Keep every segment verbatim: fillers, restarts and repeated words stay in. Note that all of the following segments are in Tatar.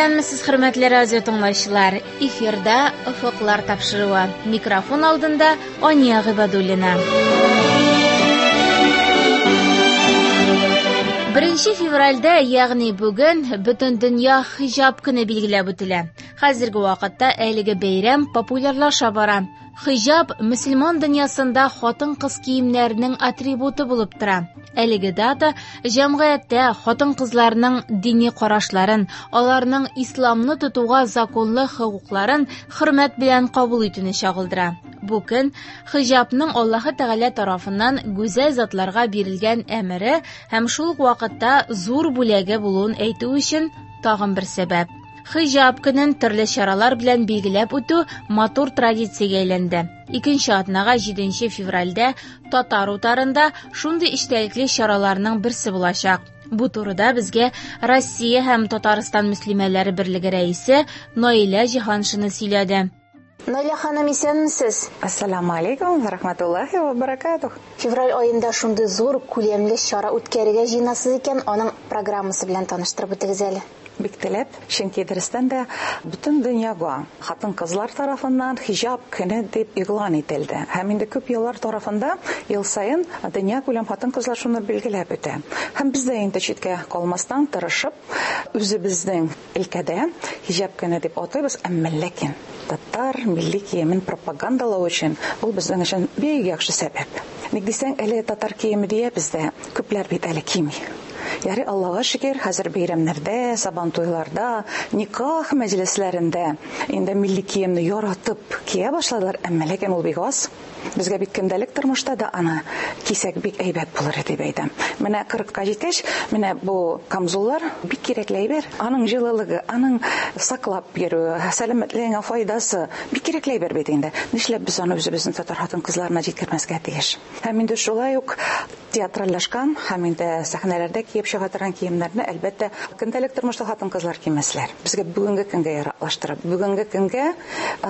Исәнмесез, хөрмәтле радио тыңлаучылар. Эфирда Офыклар тапшыруы. Микрофон алдында Ания Гыйбадуллина. Беренче февральдә, ягъни бүген, бөтен дөнья хиҗап көне билгеләп үтелә. Хәзерге вакытта әлеге бәйрәм популярлаша бара. Хиҗап мөселман дөньясында хатын-кыз киемнәренең атрибуты булып тора. Әлеге дата җәмгыятьтә хатын-кызларның дини карашларын, аларның исламны тотуга законлы хокукларын хөрмәт белән кабул итүне чагылдыра. Бу көн хиҗапның Аллаһы Тәгалә тарафыннан гүзәл затларга бирелгән әмере һәм шул ук вакытта зур бүләге булуын әйтү өчен тагын бер сәбәп. Хиҗап көнен төрле чаралар белән билгеләп үтү матур традициягә әйләнде. Икенче атнага җиденче февральдә Татар утарында шундый эчтәлекле чараларның берсе булачак. Бу турыда безгә Россия һәм Татарстан мөслимәләре берлеге рәисе Наилә Җиһаншина сөйләде. Наилә ханым, исәнмесез? Ассаламу алейкум ва рахматуллахи ва баракатух. Февраль аенда шундый зур күләмле чара үткәрергә җыенасыз икән, аның программасы белән таныштырып үтегез әле. Бик теләп, чөнки дөрестән дә бөтен дөньяга хатын-кызлар тарафыннан хиҗап көне дип игълан ителде. Һәм инде күп еллар тарафында ел саен дөнья күләм хатын-кызлар шуны билгеләп үтә. Һәм без дә инде читкә калмастан тырышып үзебезнең өлкәдә хиҗап көне дип атыйбыз, әмма ләкин татар милли киемен пропагандалау өчен ул безнең өчен бик яхшы сәбәп. Ник дисәң, әле татар киеме диябез дә, күпләр бит әле кими. Яри Аллаһка шөкер, хәзер бәйрәмнәрдә, сабантуйларда, никах мәҗлесләрендә инде милли киемне яратып кия башладылар, әмма ләкин ул бик аз. Безгә бит көндәлек тормышта да аны кисәк бик әйбәт булыр дип әйтәм. Менә кырыкка җиткәч, менә бу камзуллар бик кирәкле әйбер. Аның җылылыгы, аның саклап йөрүе, сәламәтлегеңә файдасы бик кирәкле әйбер бит инде. Нишләп без аны үзебезнең татар хатын-кызларына җиткермәскә тиеш? Һәм инде шулай ук театральләшкән һәм инде сәхнәләрдә киеп чыга торган киемнәрне, әлбәттә, көндәлек тормышта хатын-кызлар кимәсләр. Безгә бүгенге көнгә яраклаштырып, бүгенге көнгә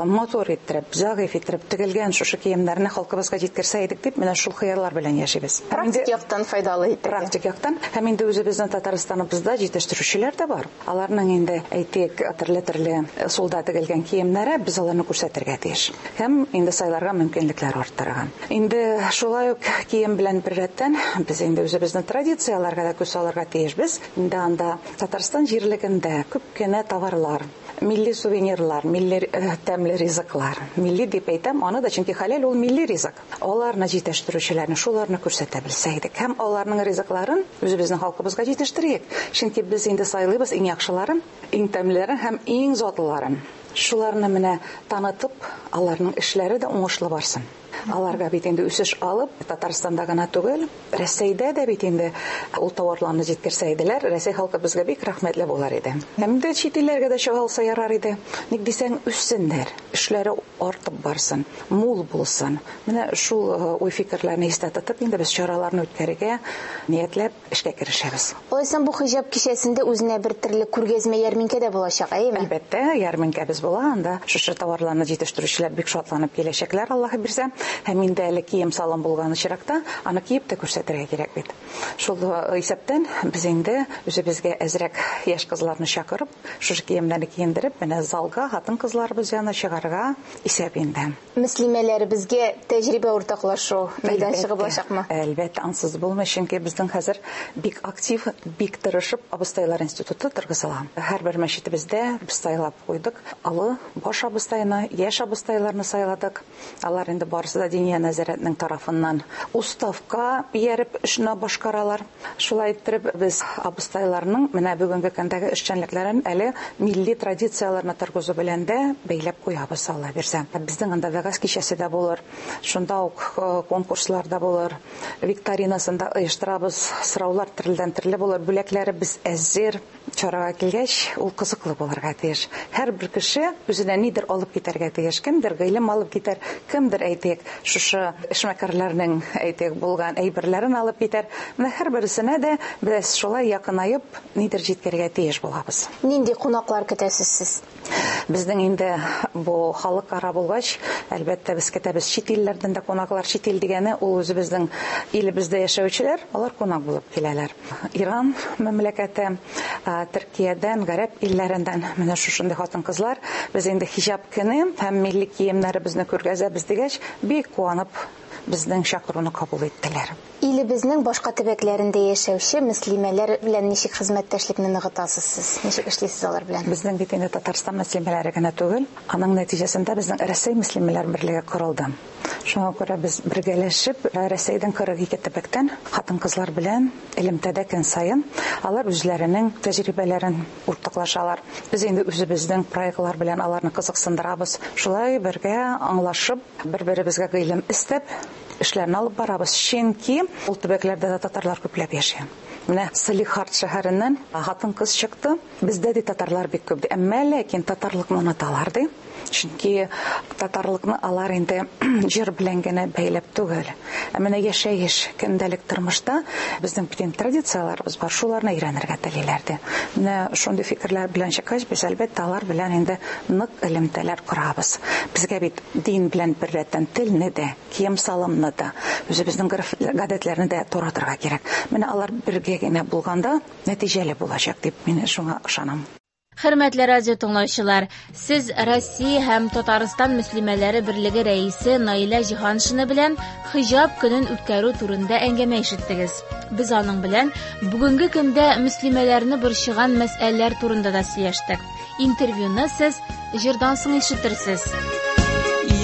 матур иттереп, зәгыйфь иттереп тегелгән шушы киемнәрне халкыбызга җиткерсә идек дип, менә шул хыяллар белән яшибез. Практик яктан файдалы итеп. Практик яктан һәм инде үзебезнең Татарстаныбызда җитештерүчеләр дә бар. Аларның инде әйтик, төрле-төрле ысулда тегелгән киемнәре, без аларны күрсәтергә тиеш. Һәм инде сайларга мөмкинлекләр арттырган. Инде шулай ук кием белән беррәттән без инде үзебезнең традицияләргә дә күз салырга тиешбез. Инде анда Татарстан җирлегендә күп кенә товарлар, милли сувенирлар, милли тәмле ризыклар. Милли дип әйтәм, аны да, чөнки хәләл ул милли ризык. Аларны җитештерүчеләрне, шуларны күрсәтә белсә идек. Һәм аларның ризыкларын үзебезнең халкыбызга җитештерик. Чөнки без инде сайлыйбыз иң яхшыларын, иң тәмлеләрен һәм иң затлыларын. Шуларны менә танытып, аларның эшләре дә уңышлы барсын. Аларга бит инде үсеш алып, Татарстанда гына түгел, Рәсәйдә дә бит инде ул товарларны җиткерсә иделәр, Рәсәй халкы безгә бик рәхмәтле булар иде. Һәм дә чит илләргә дә чыга алса ярар иде. Ник дисәң, үссеннәр, эшләре артып барсын, мул булсын. Менә шул уй-фикерләрне истә тотып, инде без чараларны үткәрергә ниятләп эшкә керешәбез. Алайса бу хиҗап кичәсендә үзенә бер төрле күргәзмә ярминкә дә булачак, әйеме? Әлбәттә, ярминкәбез була. Анда шушы товарларны җитештерүчеләр бик шатланып киләчәкләр, Аллаһы бирсә. Һәм инде әле кием салым булган очракта аны киеп тә күрсәтергә кирәк бит. Шул исәптән без инде үзебезгә әзрәк яшь кызларны чакырып, шушы киемнәрне киендереп, менә залга хатын-кызларыбыз янына чыгарга исәп инде. Мөслимәләребезгә тәҗрибә уртаклашу мәйданчыгы булачакмы? Әлбәттә, ансыз булмый, чөнки безнең хәзер бик актив, бик тырышып абыстайлар институты торгызыла. Һәрбер мәчетебездә без сайлап куйдык. Олы баш абыстайны, яшь абыстайларны сайладык. Алар инде барысы да Диния нәзарәтенең тарафыннан уставка ияреп эшне башкаралар. Шулай иттереп без абыстайларның менә бүгенге көндәге эшчәнлекләрен әле милли традицияләрне торгызу белән дә бәйләп куябыз, Алла бирсә. Безнең анда вәгазь кичәсе дә булыр, шунда ук конкурслар да булыр, викторинасын да оештырабыз, сораулар төрледән төрле булыр, бүләкләребез әзер. Чарага килгәч, ул кызыклы булырга тиеш. Һәрбер кеше үзенә нидер алып китәргә тиеш. Кемдер гыйлем алып китәр, кемдер әйтик, шушы эшмәкәрләрнең әйтик булган әйберләрен алып китәр. Менә һәрберсенә дә без шулай якынаеп нидер җиткерергә тиеш булабыз. Нинди кунаклар көтәсез сез? Безнең инде бу халыкара булгач, әлбәттә, без көтәбез чит илләрдән дә кунаклар. Чит ил дигәне ул үзебезнең илебездә яшәүчеләр, алар кунак булып киләләр. Иран мәмләкәте, Төркиядән, гарәп илләреннән менә шушындый хатын-кызлар. Без инде хиҗап көне һәм милли киемнәребезне күргәзәбез дигәч, бик куанып безнең чакыруны кабул иттеләр. Илебезнең башка төбәкләрендә яшәүче мөслимәләр белән ничек хезмәттәшлекне ныгытасыз сез? Ничек эшлисез алар белән? Безнең бит инде Татарстан мөслимәләре генә түгел, аның нәтиҗәсендә безнең Рәсәй мөслимәләр берлеге корылды. Шуңа күрә без бергәләшеп Рәсәйдән кырык ике төбәктән хатын-кызлар белән элемтәдә көн саен алар үзләренең тәҗрибәләрен уртаклашалар. Без инде үзебезнең проектлар белән аларны кызыксындырабыз. Шулай бергә аңлашып, бер-беребезгә гыйлем истәп эшләрне алып барабыз. Чөнки ул төбәкләрдә дә татарлар күпләп яши. Менә Салихард шәһәреннән хатын-кыз чыкты. Бездә дә татарлар бик күп. Әмма ләкин татарлыкны оныталар ди. Чөнки татарлыкны алар инде җыр белән генә бәйләп түгел. Ә менә яшәеш, көндәлек тормышта безнең бөтен традицияләребез бар, шуларны өйрәнергә телиләр ди. Менә шундый фикерләр белән чыккач, без әлбәттә алар белән инде нык элемтәләр корабыз. Безгә бит дин белән беррәттән телне дә, кием-салымны да, үзебезнең гореф-гадәтләрне дә таратырга кирәк. Менә алар бергә генә булганда нәтиҗәле булачак дип мин шуңа ышанам. Хөрмәтле радио тыңлаучылар, сез Россия һәм Татарстан мөслимәләре берлеге рәисе Наилә Җиһаншина белән хиҗап көнен үткәрү турында әңгәмә ишеттегез. Без аның белән бүгенге көндә мөслимәләрне борчыган мәсьәләләр турында да сөйләштек. Интервьюны сез җырдан соң ишетерсез.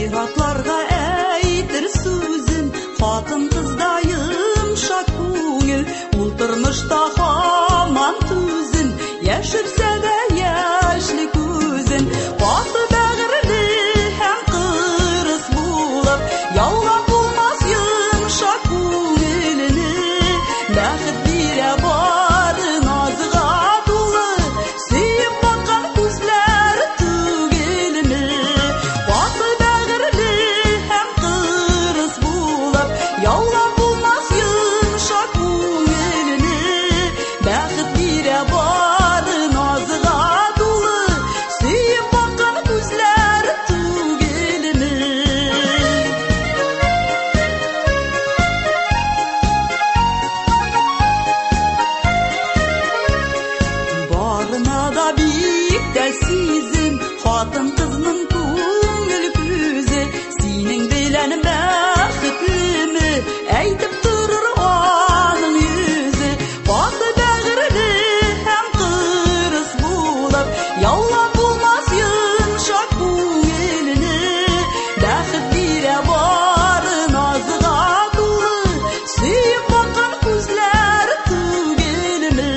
Ир-атларга әйтер сүзем, хатын-кызда йомшак күңел, ул тормышта һаман түзем, яшерсә дә яшьле күзен, каты бәгырьле һәм кырыс булып, яулап булмас йомшак күңелене, бәхет бирә бары назга тулы, сөеп баккан күзләр түгелме? Каты бәгырьле һәм кырыс булып, яулап булмас йомшак күңелене, бәхет бирә бары назга тулы, сөеп баккан күзләр түгелме? Барына да бик тә сизем, хатын-кызның күңел күзе, синең белән бәхетлеме, әйтеп торыр аның йөзе. Каты бәгырьле һәм кырыс булып, яулап булмас йомшак күңелене, бәхет бирә бары назга тулы, сөеп баккан күзләр түгелме?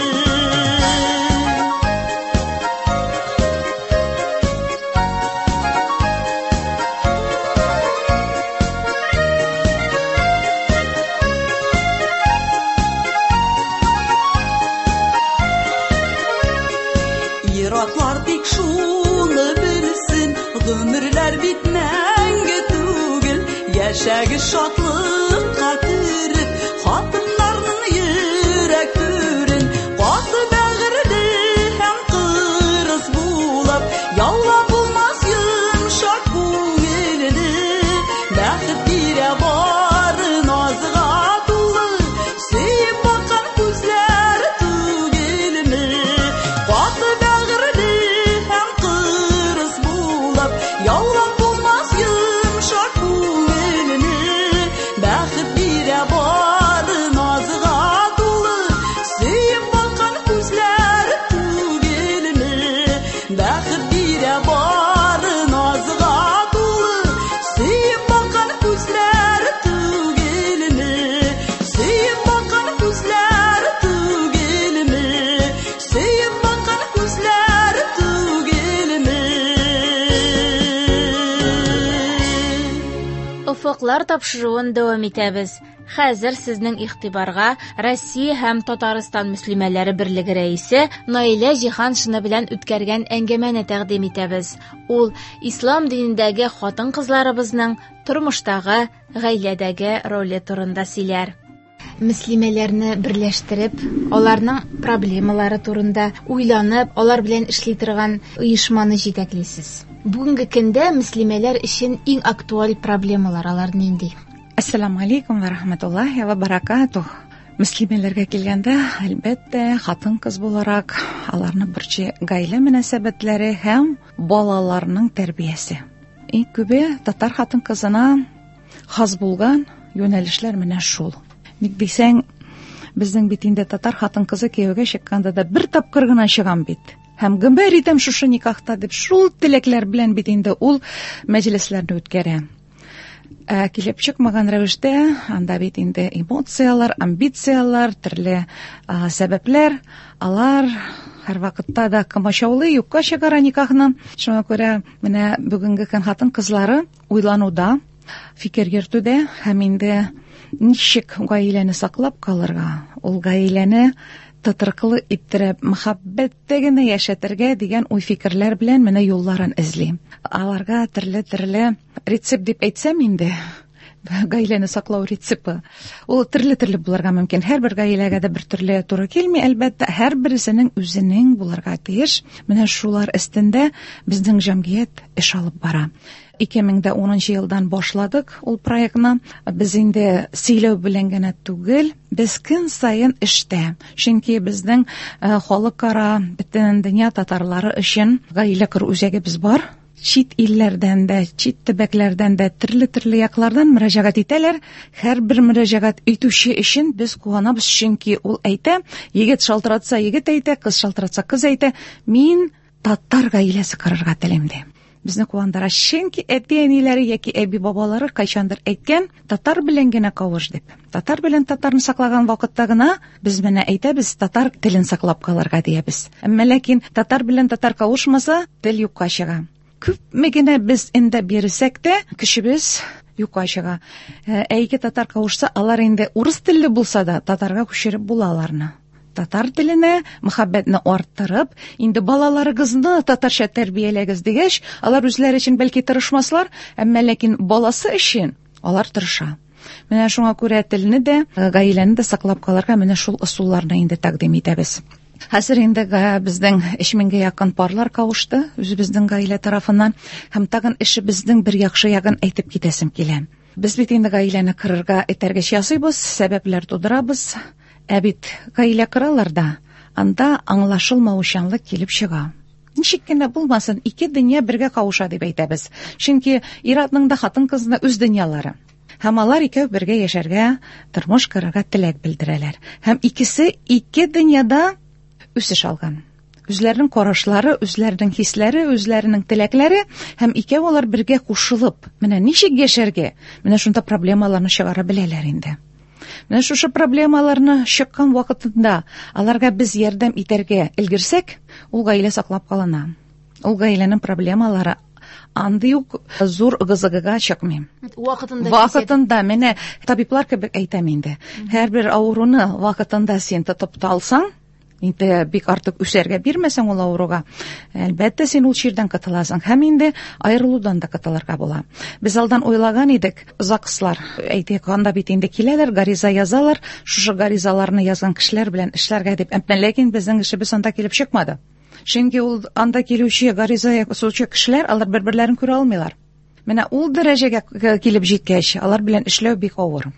Ир-атлар тик шуны белсен, гомерләр бит мәңге түгел, яшәгез шатлыкка төреп, хатыннарның йөрәк түрен, каты бәгырьле һәм кырыс булып, яулап булмас йомшак күңелене, бәхет бирә бары назга тулы, сөеп баккан күзләр түгелме? Каты бәгырьле һәм кырыс булып, яулап булмас йомшак күңелене, бәхет бирә бары назга тулы, сөеп баккан күзләр түгелме? Бәхет бирә бары назга тулы, сөеп баккан күзләр түгелме? Сөеп баккан күзләр түгелме? Сөеп баккан күзләр түгелме? Офыклар тапшыруын дәвам итәбез. Хәзер сезнең игътибарга Россия һәм Татарстан мөслимәләре берлеге рәисе Наилә Җиһаншина белән үткәргән әңгәмәне тәкъдим итәбез. Ул ислам динендәге хатын-кызларыбызның тормыштагы, гаиләдәге роле турында сөйләр. мөслимәләрне берләштереп, аларның проблемалары турында уйланып, алар белән эшли торган оешманы җитәклисез. Бүгенге көндә мөслимәләр өчен иң актуаль проблемалар алар нинди? Ассаламу алейкум ва рахматуллахи ва баракатух. Мөслимәләргә килгәндә, әлбәттә, хатын-кыз буларак аларны берче гаилә мөнәсәбәтләре һәм балаларның тәрбиясе. Иң күбе татар хатын-кызына хас булган юнәлешләр менә шул. Ник дисәң, безнең бит инде татар хатын-кызы кияүгә чыкканда да бер тапкыр гына чыгам бит. Һәм гомер итәм шушы никахта дип, шул теләкләр белән бит инде ул мәҗлесләрне үткәрә. Ә килеп чыкмаган рәвештә, анда бит инде эмоциялар, амбициялар, төрле а, сәбәпләр, алар һәр вакытта да комачаулый, юкка чыгара никахны. Шуңа күрә менә бүгенге көн хатын-кызлары уйлануда, фикер йөртүдә һәм инде ничек гаиләне саклап калырга, ул гаиләне тотрыклы иттереп, мәхәббәттә генә яшәтергә дигән уй-фикерләр белән менә юлларын эзли. Аларга төрле-төрле рецепт дип әйтсәм инде, гаиләне саклау рецепты. Ул төрле-төрле булырга мөмкин. Һәрбер гаиләгә дә бер төрле туры килми, әлбәттә, һәрберсенең үзенең булырга тиеш. Менә шулар өстендә безнең җәмгыять эш алып бара. ике мең дә унынчы елдан башладык ул проектны. Без инде сөйләү белән генә түгел, без көн саен эштә. Чөнки безнең халыкара бөтен дөнья татарлары өчен гаилә кору үзәгебез бар. Чит илләрдән дә, чит төбәкләрдән дә, төрле-төрле яклардан мөрәҗәгать итәләр. Һәрбер мөрәҗәгать итүче өчен без куанабыз, чөнки ул әйтә, егет шалтыратса егет әйтә, кыз шалтыратса кыз әйтә, мин татар гаиләсе корырга телим ди. Безне куандыра, чөнки әти-әниләре яки әби-бабалары кайчандыр әйткән, татар белән генә кавыш дип. Татар белән татарны саклаган вакытта гына без менә әйтәбез, татар телен саклап калырга диябез. Әмма ләкин татар белән татар кавышмаса, тел юкка чыга. Күпме генә без инде бирсәк тә, көчебез юкка чыга. Ә ике татар кавышса, алар инде урыс телле булса да, татарга күчереп була аларны. Татар теленә мәхәббәтне арттырып, инде балаларыгызны татарча тәрбияләгез дигәч, алар үзләре өчен бәлки тырышмаслар, әмма ләкин баласы өчен алар тырыша. Менә шуңа күрә телне дә, гаиләне дә саклап калырга менә шул ысулларны инде тәкъдим итәбез. Хәзер инде безнең өч меңгә якын парлар кавышты үзебезнең гаилә тарафыннан, һәм тагын эшебезнең бер яхшы ягын әйтеп китәсем килә. Без бит инде гаиләне кырырга этәргеч ясыйбыз, сәбәпләр тудырабыз. Ә бит гаилә кыралар да, анда аңлашылмаучанлык килеп чыга. Ничек кенә булмасын, ике дөнья бергә кавыша дип әйтәбез. Чөнки ир-атның да хатын-кызның үз дөньялары. Һәм алар икәү бергә яшәргә, тормыш корырга теләк белдерәләр. Һәм икесе ике дөньяда үсеш алган. Үзләренең карашлары, үзләренең хисләре, үзләренең теләкләре һәм икәү алар бергә кушылып, менә ничек яшәргә, менә шунда проблемаларны чыгара беләләр инде. Менә шушы проблемаларны чыккан вакытында аларга без ярдәм итәргә өлгерсәк, ул гаилә саклап калына. Ул гаиләнең проблемалары андый ук зур ыгы-зыгыга чыкмый. Вакытында. Вакытында, менә табиблар кебек әйтәм инде. Һәрбер авыруны вакытында син тотып та алсаң, инде бик артык үсәргә бирмәсәң ул авыруга, әлбәттә син ул чирдән котыласың һәм инде аерылудан да котылырга була. Без алдан уйлаган идек, ЗАГСлар, әйтик, анда бит инде киләләр, гариза язалар, шушы гаризаларны язган кешеләр белән эшләргә дип. Әмма ләкин безнең эшебез анда килеп чыкмады. Чөнки ул анда килүче гариза язучы кешеләр, алар бер-берләрен күрә алмыйлар. Менә ул дәрәҗәгә килеп җиткәч, алар белән эшләү бик авыр.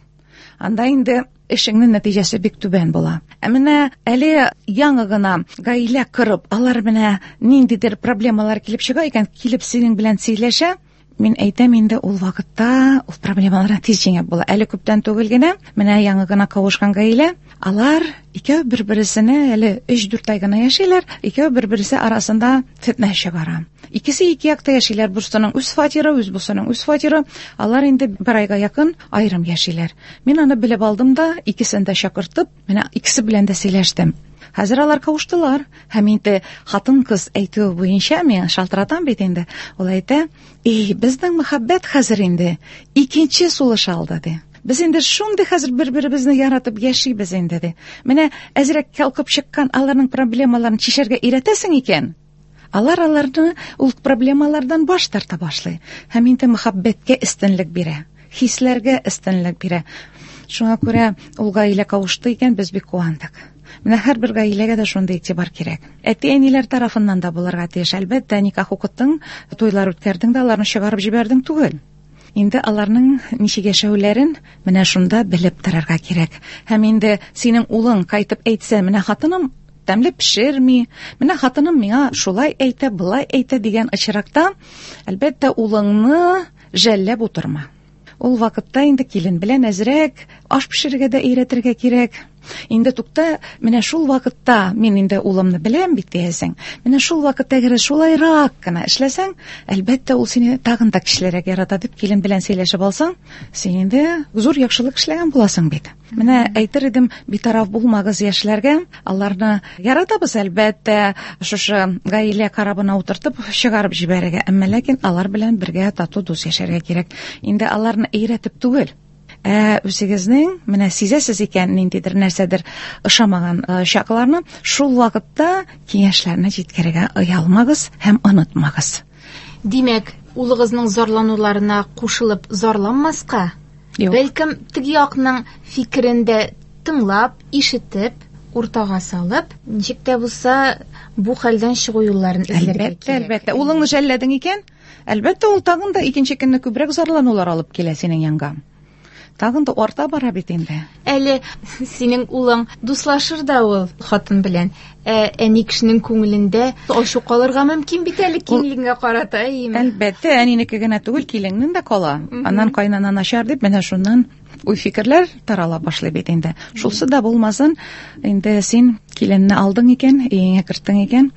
Анда инде эшеңнең нәтиҗәсе бик түбән була. Ә менә әле яңа гына гаилә корып, алар менә ниндидер проблемалар килеп чыга икән, килеп синең белән сөйләшә, мин әйтәм инде ул вакытта ул проблемаларны тиз җиңеп була. Әле күптән түгел генә, менә яңа гына кавышкан гаилә, алар икәү бер-берсенә әле өч-дүрт ай гына яшиләр, икәү бер-берсе арасында фетнә чыгара. Икесе ике якта яшиләр, берсенең үз фатиры, үз бусының үз фатиры. Алар инде бер айга якын аерым яшиләр. Мин аны белеп алдым да, икесен дә чакыртып, менә икесе белән дә сөйләштем. Хәзер алар кавыштылар. Һәм инде хатын-кыз әйтүе буенча мин шалтыратам бит инде. Ул әйтә, "Эй, безнең мәхәббәт хәзер инде икенче сулыш алды", ди. Без инде шундый хәзер бер-беребезне яратып яшибез инде, ди. Менә әзрәк калкып чыккан аларның проблемаларын чишәргә өйрәтәсең икән, алар аларны ул проблемалардан баш тарта башлый. Һәм инде мәхәббәткә өстенлек бирә, хисләргә өстенлек бирә. Шуңа күрә ул гаилә кавышты икән, без бик куандык. Менә һәрбер гаиләгә дә шундый игътибар кирәк. Әти-әниләр тарафыннан да булырга тиеш. Әлбәттә, никах укыттың, туйлар үткәрдең дә аларны чыгарып җибәрдең түгел. Инде аларның ничек яшәүләрен менә шунда белеп торырга кирәк. Һәм инде синең улың кайтып әйтсә, менә хатыным тәмле пешерми, менә хатыным миңа шулай әйтә, былай әйтә дигән очракта, әлбәттә, улыңны жәлләп утырма. Ул вакытта инде килен белән әзрәк аш пешерергә дә өйрәтергә кирәк. Инде тукта, менә шул вакытта мин инде улымны беләм бит диясең. Менә шул вакытта әгәр шулайрак кына эшләсәң, әлбәттә, ул сине тагын да көчлерәк ярата дип килен белән сөйләшеп алсаң, син инде зур яхшылык эшләгән буласың бит. Менә әйтер идем, битараф булмагыз яшьләргә. Аларны яратабыз, әлбәттә, шушы гаилә карабына утыртып чыгарып җибәрергә. Әмма ләкин алар белән бергә тату дус яшәргә кирәк. Инде аларны өйрәтеп түгел, ә үзегезнең менә сизәсез икән ниндидер нәрсәдер ошамаган чакларны, шул вакытта киңәшләрне җиткерергә оялмагыз һәм онытмагыз. Димәк, улыгызның зарлануларына кушылып зарланмаска, бәлкем теге якның фикерен дә тыңлап, ишетеп, уртага салып, ничек тә булса бу хәлдән чыгу юлларын эзләргә кирәк. Әлбәттә, әлбәттә. Улыңны жәлләдең икән, әлбәттә, ул тагын да икенче көнне күбрәк зарланулар алып килә синең янга. Тагын да арта бара бит инде. Әле синең улың дуслашыр да ул хатын белән. Ә әни кешенең күңелендә ачу калырга мөмкин бит әле киленгә карата, әйеме? Әлбәттә, әнинеке генә түгел, киленнең дә кала. Аннан кайнана начар дип, менә шуннан уй-фикерләр тарала башлый бит инде. Шулсы да булмасын, инде син киленне алдың икән, өеңә керттең икән,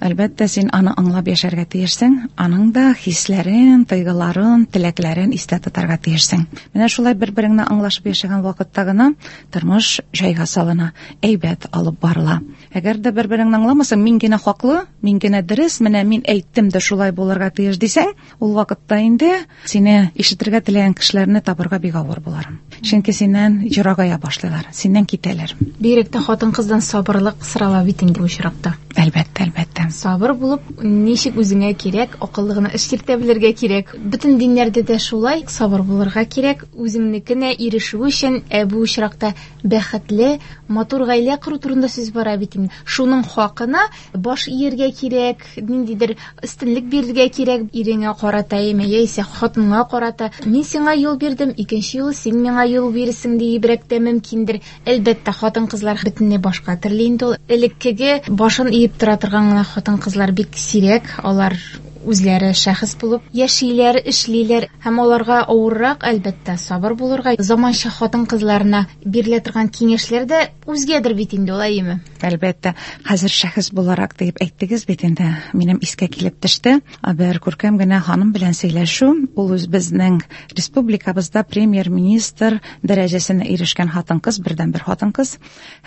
әлбәттә, син аны аңлап яшәргә тиешсең, аның да хисләрен, тойгыларын, теләкләрен истә тотарга тиешсең. Менә шулай бер-береңне аңлашып яшәгән вакытта гына тормыш җайга салына, әйбәт алып барыла. Әгәр дә бер-береңне аңламасаң, мин генә хаклы, мин генә дөрес, менә мин әйттем дә шулай булырга тиеш дисәң, ул вакытта инде сине ишетергә теләгән кешеләрне табырга бик авыр булыр. Чөнки синнән җырагая башлыйлар, синнән китәләр. Бигрәк тә хатын-кыздан сабырлык сорала бит инде бу очракта. Әлбәттә, әлбәттә. Сабыр булып, ничек үзеңә кирәк, акыллы гына эш йөртә белергә кирәк. Бөтен диннәрдә дә шулай, сабыр булырга кирәк, үзеңнекенә ирешү өчен, ә бу очракта бәхетле, матур гаилә кору турында сүз бара бит инде. Шуның хакына баш ияргә кирәк, ниндидер өстенлек бирергә кирәк иреңә карата, яисә хатыныңа карата. Мин сиңа юл бирдем, икенче юлы син миңа юл бирсең диебрәк тә мөмкиндер. Әлбәттә, хатын-кызлар бөтенләй башка төрле инде ул. Элеккеге башын иеп тора торган гына хатын-кызлар бик сирәк, алар үзләре шәхес булып яшиләр, эшлиләр һәм аларга авыррак, әлбәттә, сабыр булырга. Заманча хатын-кызларына бирелә торган киңәшләр дә үзгәдер бит инде, алай әйеме? Әлбәттә, хәзер шәхес буларак дип әйттегез бит инде, минем искә килеп төште. Бер күркәм генә ханым белән сөйләшү, ул үз безнең республикабызда премьер-министр дәрәҗәсенә ирешкән хатын-кыз, бердәнбер хатын-кыз.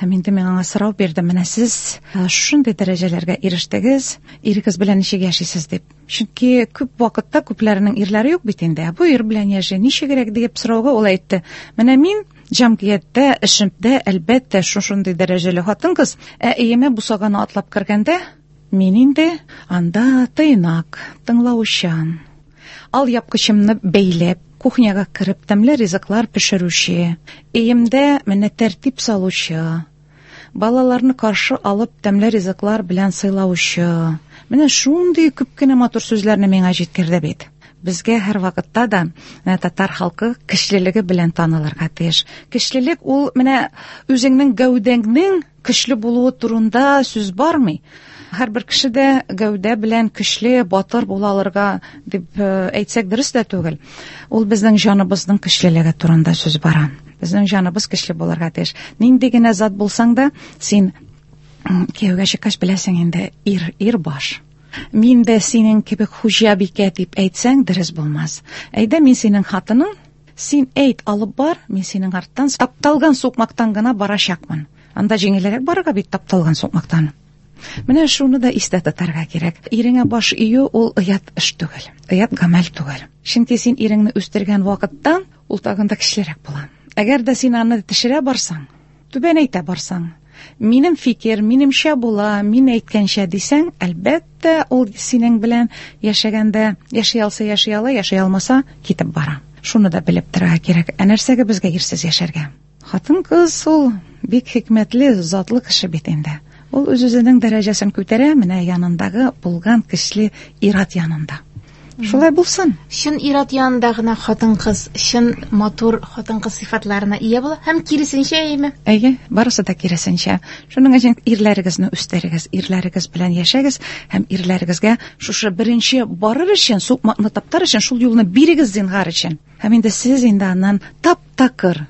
Һәм инде мин аңа сорау бирдем, менә сез шундый дәрәҗәләргә ирештегез, ирегез белән ничек яшисез дип. Чөнки күп вакытта күпләренең ирләре юк бит инде. Бу ир белән яши ничегрәк дип сорауга ул әйтте. Менә мин җәмгыятьтә, эшемдә, әлбәттә, шушындый дәрәҗәле хатын-кыз, ә өемә бусаганы атлап кергәндә, мин инде анда тыйнак, тыңлаучан, ал япкычымны бәйләп, кухняга кереп, тәмле ризыклар пешерүче, өемдә менә тәртип салучы, балаларны каршы алып, тәмле ризыклар белән сыйлаучы. Менә шундый күп кенә матур сүзләрне миңа җиткерде бит. Безгә һәр вакытта да менә татар халкы көчлелеге белән танылырга тиеш. Көчлелек ул менә үзеңнең гәүдәңнең көчле булуы турында сүз бармый. Һәрбер кеше дә гәүдә белән көчле, батыр була алырга дип әйтсәк дөрес тә түгел. Ул безнең җаныбызның көчлелеге турында сүз бара. Безнең җаныбыз көчле булырга тиеш. Нинди генә зат булсаң да, син кияүгә чыккач беләсең инде, ир, ир баш. Мин дә синең кебек хуҗабикә дип әйтсәң, дөрес булмас. Әйдә, мин синең хатының, син әйт, алып бар, мин синең арттан тапталган сукмактан гына барачакмын. Анда җиңелрәк барырга бит тапталган сукмактан. Менә шуны да истә тотарга кирәк. Иреңә баш ию ул оят эш түгел, оят гамәл түгел. Чөнки син иреңне үстергән вакытта ул тагын да көчлерәк була. Әгәр дә син аны төшерә барсаң, түбәнәйтә барсаң, минем фикер, минемчә була, мин әйткәнчә дисәң, әлбәттә, ул синең белән яшәгәндә яши алса яши ала, яши алмаса китеп бара. Шуны да белеп торырга кирәк. Ә нәрсәгә безгә ирсез яшәргә? Хатын-кыз ул бик хикмәтле, затлы кеше бит инде. Ул үз-үзенең дәрәҗәсен күтәрә, менә янындагы булган көчле ир-ат янында. Шулай булсын. Чын ир-ат янында гына хатын-кыз чын матур хатын-кыз сыйфатларына ия була һәм киресенчә, әйеме? Әйе, барысы да киресенчә. Шуның өчен ирләрегезне үстерегез, ирләрегез белән яшәгез һәм ирләрегезгә шушы беренче барыр өчен, сукмакны таптар өчен шул юлны бирегез зинһар өчен. Һәм инде сез инде аннан тап-такыр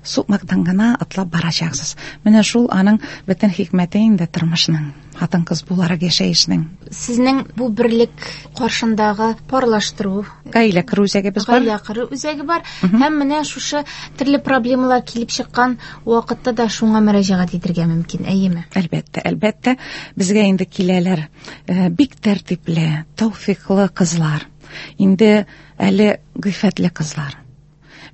сукмактан гына атлап барачаксыз. Менә шул аның бөтен хикмәте инде тормышның, хатын-кыз буларак яшәешнең. Сезнең бу берлек каршындагы парлаштыру, гаилә кору үзәгебез бар. Гаилә кору үзәге бар. Һәм менә шушы төрле проблемалар килеп чыккан вакытта да шуңа мөрәҗәгать итәргә мөмкин, әйеме? Әлбәттә, әлбәттә, безгә инде киләләр, э, бик тәртипле, тәүфиклы кызлар. Инде әле гыйффәтле кызлар.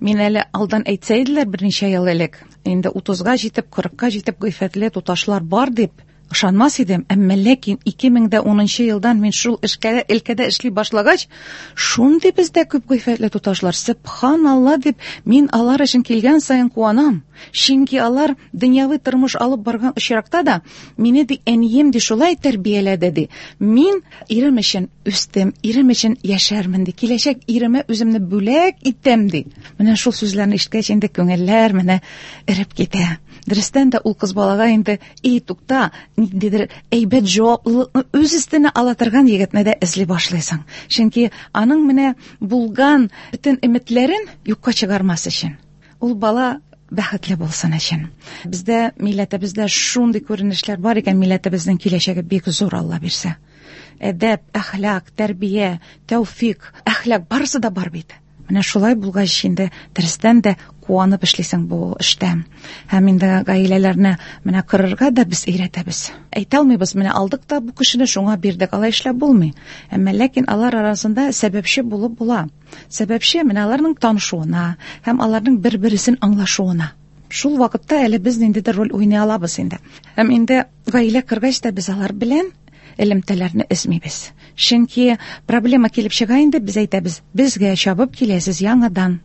Мин әле алдан әйтсәйделәр берничә ел элек, инде утызга җитеп, кырыкка җитеп гыйффәтле туташлар бар дип ышанмас идем. Әмма ләкин ике мең дә унынчы елдан мин шул эшкә, өлкәдә эшли башлагач, шундый бездә күп гыйффәтле туташлар, сөбханалла дип, мин алар өчен килгән саен куанам. Чөнки алар дөньяви тормыш алып барган очракта да мине ди әнием ди шулай тәрбияләде ди. Мин ирем өчен үстем, ирем өчен яшәрмен ди. Киләчәк иремә үземне бүләк итәм ди. Менә шул сүзләрне ишеткәч инде күңелләр менә эреп китә. Дөрестән дә ул кыз балага инде, и тукта, ниндидер әйбәт җаваплылыкны үз өстенә ала торган егетне дә эзли башлыйсың. Чөнки аның менә булган бөтен өметләрен юкка чыгармас өчен. Ул бала бәхетле булсын өчен. Бездә, милләтебездә шундый күренешләр бар икән, милләтебезнең киләчәге бик зур, Алла бирсә. Әдәп, әхлак, тәрбия, тәүфик, әхлак барысы да бар бит. Менә шулай булгач инде дөрестән дә куанып эшлисең бу эштә. Һәм инде гаиләләрне менә корырга да без өйрәтәбез. Әйтә алмыйбыз, менә алдык та бу кешене шуңа бирдек, алай эшләп булмый. Әмма ләкин алар арасында сәбәпче булып була. Сәбәпче менә аларның танышуына һәм аларның бер-берсен аңлашуына. Шул вакытта әле без ниндидер роль уйный алабыз инде. Һәм инде гаилә коргач та без алар белән элемтәләрне өзмибез. Чөнки проблема килеп чыга инде, без әйтәбез, безгә чабып киләсез яңадан.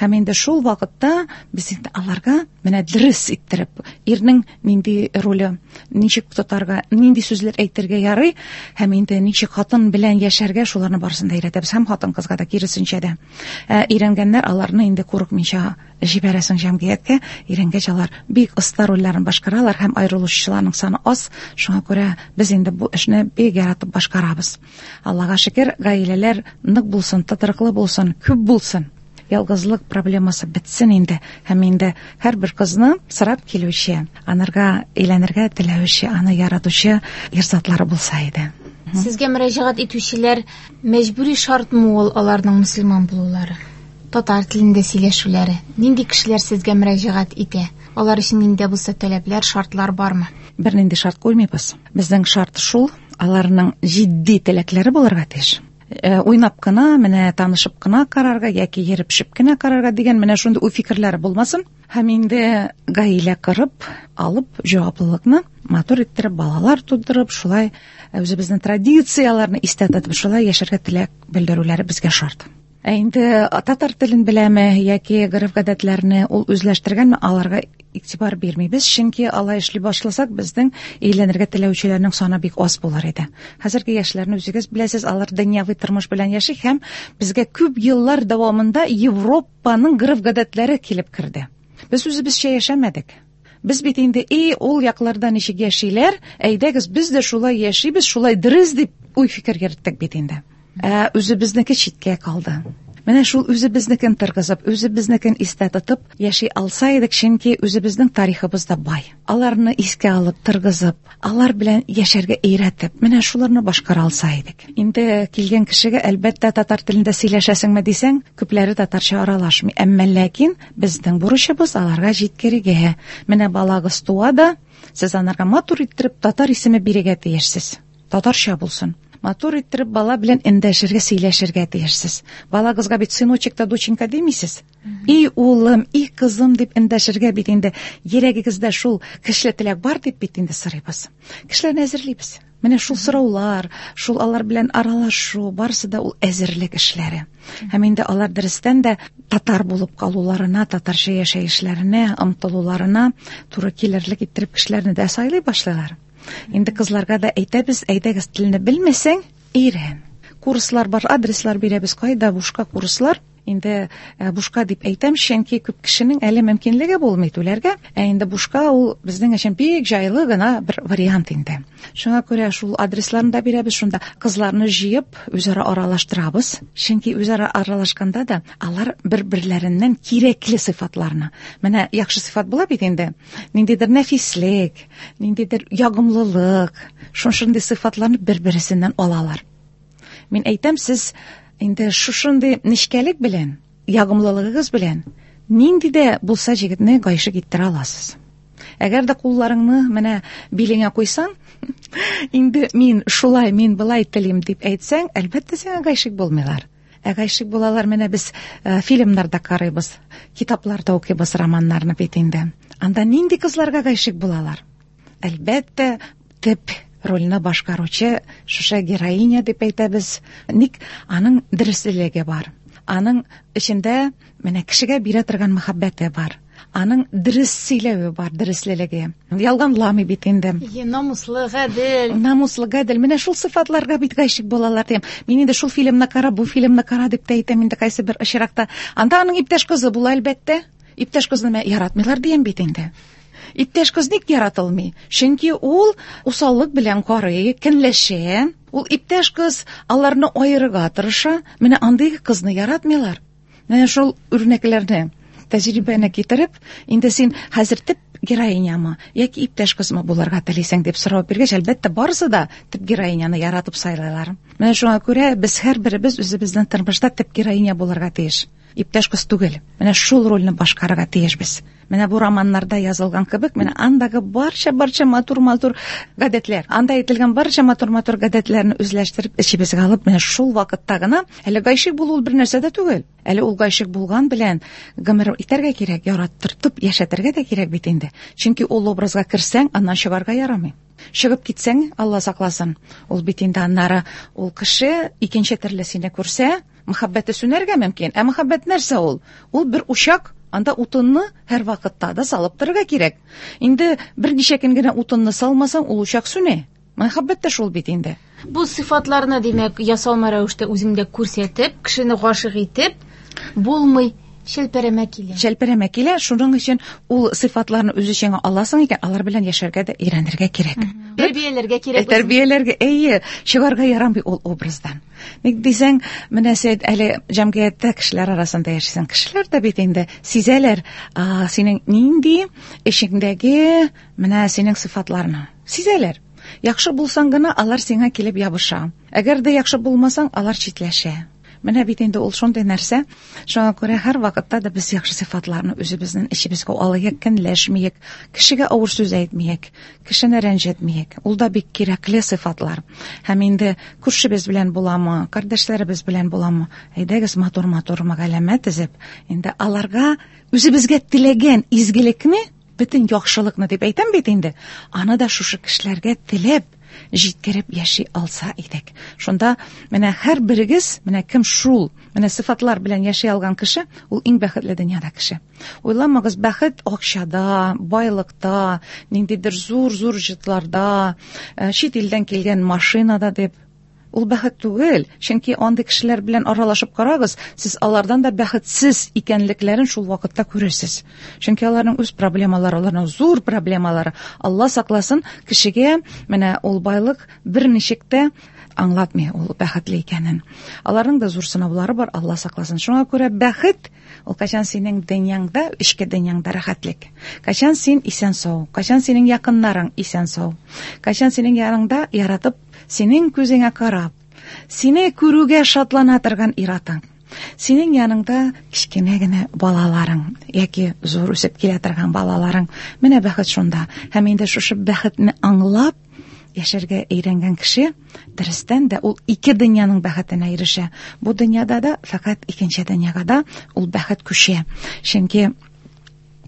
Һәм инде шул вакытта без инде аларга менә дөрес иттереп, ирнең нинди роле, ничек тотарга, нинди сүзләр әйтергә ярый, һәм инде ничек хатын белән яшәргә, шуларны барысын да өйрәтәбез. Һәм хатын-кызга да киресенчә дә. Ә, өйрәнгәннәр аларны инде курыкмыйча җибәрәсең җәмгыятькә. Өйрәнгәч алар бик оста рольләрен башкаралар һәм аерылышучыларның саны аз. Шуңа күрә без инде бу эшне бик яратып башкарабыз. Аллага шөкер, гаиләләр нык булсын, тотрыклы булсын, күп булсын. Ялгызлык проблемасы бетсен инде. Һәм инде һәрбер кызны сорап килүче, анарга әйләнергә теләүче, аны яратучы ир затлары булса иде. Сезгә мөрәҗәгать итүчеләр мәҗбүри шартмы ул аларның мөселман булулары? Татар телендә сөйләшүләре. Нинди кешеләр сезгә мөрәҗәгать итә? Алар өчен нинди булса таләпләр, шартлар бармы? Бернинди шарт куймыйбыз. Безнең шарт шул, аларның җитди теләкләре булырга тиеш. Э, уйнап кына, менә танышып кына карарга яки йөреп шип кенә карарга дигән менә шундый уй фикерләре булмасын. Һәм инде гаилә корып, алып җаваплылыкны матур иттереп, балалар тудырып, шулай үзебезнең традицияләрне истә тотып, шулай яшәргә теләк белдерүләре безгә шарт. Ә инде татар телен беләме яки гореф-гадәтләрне ул үзләштергәнме, аларга игътибар бирмибез, чөнки алай эшли башласак, безнең өйләнергә теләүчеләрнең саны бик аз булыр иде. Хәзерге яшьләрне үзегез беләсез, алар дөньяви тормыш белән яши һәм безгә күп еллар дәвамында Европаның гореф-гадәтләре килеп керде. Без үзебезчә яшәмәдек. Без бит инде, эй, ул якларда ничек яшиләр, әйдәгез, без дә шулай яшибез, шулай дөрес дип уй-фикер йөрттек бит инде. Ә үзебезнеке читкә калды. Менә шул үзебезнекен торгызып, үзебезнекен истә тотып яши алса идек, чөнки үзебезнең тарихыбыз да бай. Аларны искә алып, торгызып, алар белән яшәргә өйрәтеп, менә шуларны башкара алса идек. Инде килгән кешегә әлбәттә татар телендә сөйләшәсеңме дисәң, күпләре татарча аралашмый. Әмма ләкин безнең бурычыбыз аларга җиткерергә. Менә балагыз туа да, сез анарга матур иттереп татар исеме бирергә тиешсез. Татарча булсын. Матур иттереп бала белән эндәшергә, сөйләшергә тиешсез. Балагызга бит сыночек та доченька димисез. И улым, и кызым дип эндәшергә бит инде йөрәгегездә шул кешеле теләк бар дип бит инде сорыйбыз. Кешеләрне әзерлибез. Менә шул сораулар, шул алар белән аралашу, барысы да ул әзерлек эшләре. Һәм инде алар дөрестән дә татар булып калуларына, татарча яшәешләренә, омтылуларына туры килерлек иттереп кешеләрне дә сайлый башлыйлар. Инде кызларга да әйтәбез, әйдәгез, телне белмәсәң, өйрән. Курслар бар, адреслар бирәбез, кайда бушка курслар. Инде бушка дип әйтәм, чөнки күп кешенең әле мөмкинлеге булмый түләргә. Ә инде бушка ул безнең өчен бик җайлы гына бер вариант инде. Шуңа күрә шул адресларны да бирәбез, шунда кызларны җыеп үзара аралаштырабыз. Чөнки үзара аралашканда да алар бер-берләреннән кирәкле сыйфатларны. Менә яхшы сыйфат була бит инде. Ниндидер нәфислек, ниндидер ягымлылык, шушындый сыйфатларны бер-берсеннән алалар. Мин әйтәм, сез инде шушындый нечкәлек белән, ягымлылыгыгыз белән нинди дә булса җегетне гайшык иттерә аласыз. Әгәр дә кулларыңны менә билеңә куйсаң, инде мин шулай, мин былай телим дип әйтсәң, әлбәттә сиңа гайшык булмыйлар. Ә гайшык булалар, менә без фильмнарда карыйбыз, китапларда укыйбыз романнарны бит инде. Анда нинди кызларга гайшык булалар? Әлбәттә, төп рольне башкаручы шушы героиня дип әйтәбез. Ник аның дөреслеге бар. Аның эчендә менә кешегә бирә торган мәхәббәте бар. Аның дөрес сөйләве бар, дөреслелеге. Ялганламый бит инде. Е, намуслы, гадел. Намуслы, гадел. Менә шул сыйфатларга бит гашыйк булалар дим. Мин инде шул фильмны кара, бу фильмны кара дип тә әйтәм инде кайсы бер очракта. Анда аның иптәш кызы була әлбәттә. Иптәш кызны яратмыйлар дигән бит инде. Иптәш кыз ник яратылмый? Чөнки ул усаллык белән карый, көнләшә. Ул иптәш кыз аларны аерырга тырыша. Менә андый кызны яратмыйлар. Менә шул үрнәкләрне, тәҗрибәне китереп, инде син хәзер төп героинямы яки иптәш кызмы булырга телисең дип сорау биргәч, әлбәттә, барысы да төп героиняны яратып сайлыйлар. Менә шуңа күрә без һәрберебез үзебезнең тормышта төп героиня булырга тиеш. Иптәш кыз түгел. Менә шул рольне башкарырга тиешбез. Менә бу романнарда язылган кебек, менә андагы барча-барча матур-матур гадәтләр, анда әйтелгән барча матур-матур гадәтләрне үзләштереп, эчебезгә алып, менә шул вакытта гына, әле гайшык булу ул бер нәрсә дә түгел. Әле ул гайшык булган белән гомер итәргә кирәк, яраттыртып яшәтергә дә кирәк бит инде. Чөнки ул образга керсәң, аннан чыгарга ярамый. Чыгып китсәң, Алла сакласын. Ул бит инде аннары ул кеше икенче төрле сине күрсә, мәхәббәте сүнәргә мөмкин. Ә мәхәббәт нәрсә ул? Ул бер учак, анда утынны һәр вакытта да салып торырга кирәк. Инде берничә көн генә утынны салмасаң, ул учак сүнә. Мәхәббәт тә шул бит инде. Бу сыйфатларны, димәк, ясалма рәвештә үзеңдә күрсәтеп, кешене гашык итеп булмый. Шәлперәмә килә. Шәлперәмә килә. Шуның өчен ул сыйфатларны үз эчеңә аласың икән, алар белән яшәргә дә өйрәнергә кирәк. Тәрбияләргә кирәк. Тәрбияләргә, әйе, чыгарга ярамый ул образдан. Ник дисәң, менә син әле җәмгыятьтә кешеләр арасында яшисең. Кешеләр дә бит инде сизәләр, синең нинди эчеңдәге менә синең сыйфатларны. Сизәләр. Яхшы булсаң гына алар сиңа килеп ябыша. Әгәр дә яхшы булмасаң, алар читләшә. Менә бит инде ул шундый нәрсә. Шуңа күрә һәр вакытта да без яхшы сыйфатларны үзебезнең эчебезгә алыйк, көнләшмиек, кешегә авыр сүз әйтмиек, кешене рәнҗетмиек. Ул да бик кирәкле сыйфатлар. Һәм инде күршебез белән буламы, кардәшләребез белән буламы, әйдәгез матур-матур мәгаләмә төзеп, инде аларга үзебезгә теләгән изгелекне, бөтен яхшылыкны дип әйтәм бит инде, аны да шушы кешеләргә теләп җиткереп яши алса идек. Шунда менә һәр берегез, менә кем шул, менә сыйфатлар белән яши алган кеше, ул иң бәхетле дөньяда кеше. Уйламагыз, бәхет акчада, байлыкта, ниндидер зур-зур җитларда, чит илдән килгән машинада дип. Ул бәхет түгел, чөнки андый кешеләр белән аралашып карагыз, сез алардан да бәхетсез икәнлекләрен шул вакытта күрерсез. Чөнки аларның үз проблемалары, аларның зур проблемалары. Алла сакласын, кешегә менә ул байлык берничек тә аңлатмый ул бәхетле икәнен. Аларның да зур сынаулары бар, Алла сакласын. Шуңа күрә бәхет ул кайчан синең дөньяңда, эчке дөньяңда рәхәтлек. Кайчан син исән-сау, кайчан синең якыннарың исән-сау, кайчан синең яныңда яратып, синең күзеңә карап, сине күрүгә шатлана торган иратың, синең яныңда кечкенә генә балаларың яки зур үсеп килә торган балаларың. Менә бәхет шунда. Һәм инде шушы бәхетне аңлап яшәргә өйрәнгән кеше дөрестән дә ул ике дөньяның бәхетенә ирешә. Бу дөньяда да, фәкать икенче дөньяга да ул бәхет күчә. Чөнки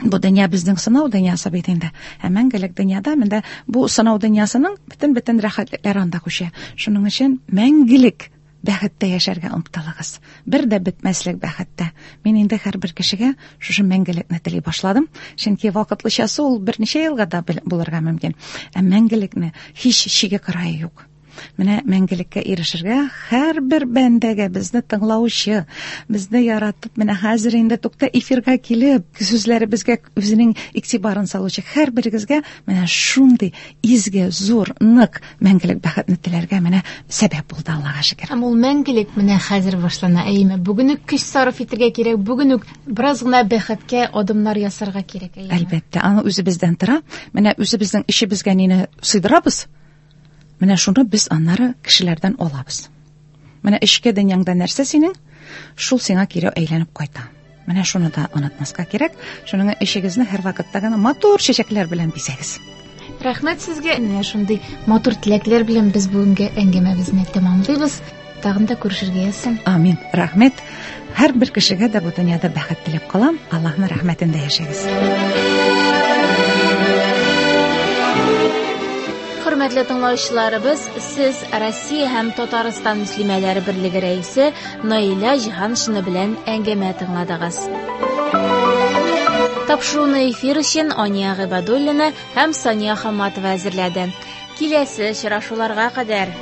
Бу дөнья безнең сынау дөньясы бит инде. Ә мәңгелек дөньяда менә бу сынау дөньясының бөтен-бөтен рәхәтлекләре анда күчә. Шуның өчен мәңгелек бәхеттә яшәргә омтылыгыз. Бер дә бетмәслек бәхеттә. Мин инде һәрбер кешегә шушы мәңгелекне тели башладым. Чөнки вакытлычасы ул берничә елга да булырга мөмкин. Ә мәңгелекне һич чиге кырае юк. Менә мәңгелеккә ирешергә һәрбер бәндәгә, безне тыңлаучы, безне яратып, менә хәзер инде тукта эфирга килеп, сүзләребезгә үзенең игътибарын салучы һәрберегезгә менә шундый изге, зур, нык мәңгелек бәхетне теләргә менә сәбәп булды, Аллага шөкер. Һәм ул мәңгелек менә хәзер башлана, әйеме? Бүген үк көч сарыф итәргә кирәк, бүген үк бераз гына бәхеткә адымнар ясарга кирәк, әйеме? Әлбәттә, аны үзебездән тора. Менә үзебезнең эчебезгә нине сыйдырабыз? Менә шуны без аннары кешеләрдән алабыз. Менә эчке дөньяңда нәрсә синең, шул сиңа кире әйләнеп кайта. Менә шуны да онытмаска кирәк. Шуның эчегезне һәр вакытта гына матур чәчәкләр белән бизәгез. Рәхмәт сезгә. Менә шундый матур теләкләр белән без бүгенге әңгәмәбезне тәмамлыйбыз. Тагын да күрешергә язсын. Амин. Рәхмәт. Һәрбер кешегә дә бу дөньяда бәхет теләп калам. Аллаһның рәхмәтендә яшәгез. Хөрмәтле тыңлаучыларыбыз, сез Россия һәм Татарстан мөслимәләре берлеге рәисе Наилә Җиһаншина белән әңгәмә тыңладыгыз. Тапшыруны эфир өчен Ания Гыйбадуллина һәм Сания Хаматова әзерләде. Киләсе очрашуларга кадәр.